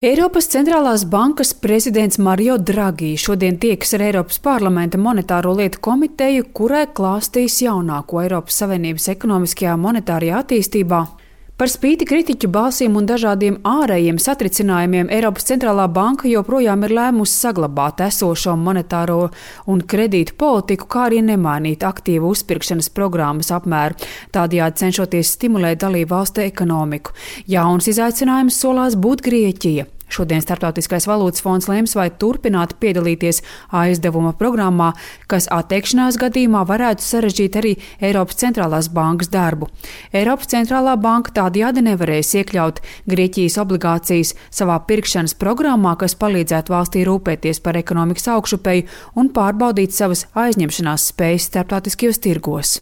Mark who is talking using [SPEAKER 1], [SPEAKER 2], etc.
[SPEAKER 1] Eiropas centrālās bankas prezidents Mario Draghi šodien tiekas ar Eiropas parlamenta monetāro lietu komiteju, kurai klāstīs jaunāko Eiropas Savienības ekonomiskajā monetārajā attīstībā. Par spīti kritiķu balsīm un dažādiem ārējiem satricinājumiem Eiropas centrālā banka joprojām ir lēmusi saglabāt esošo monetāro un kredītu politiku, kā arī nemainīt aktīvu uzpirkšanas programmas apmēru, tādējādi cenšoties stimulēt dalību valstu ekonomiku. Jauns izaicinājums solās būt Grieķija. Šodien Starptautiskais valūtas fonds lems, vai turpināt piedalīties aizdevuma programmā, kas atteikšanās gadījumā varētu sarežģīt arī Eiropas centrālās bankas darbu. Eiropas centrālā banka tādējādi nevarēs iekļaut Grieķijas obligācijas savā pirkšanas programmā, kas palīdzētu valstī rūpēties par ekonomikas augšupeju un pārbaudīt savas aizņemšanās spējas starptautiskajos tirgos.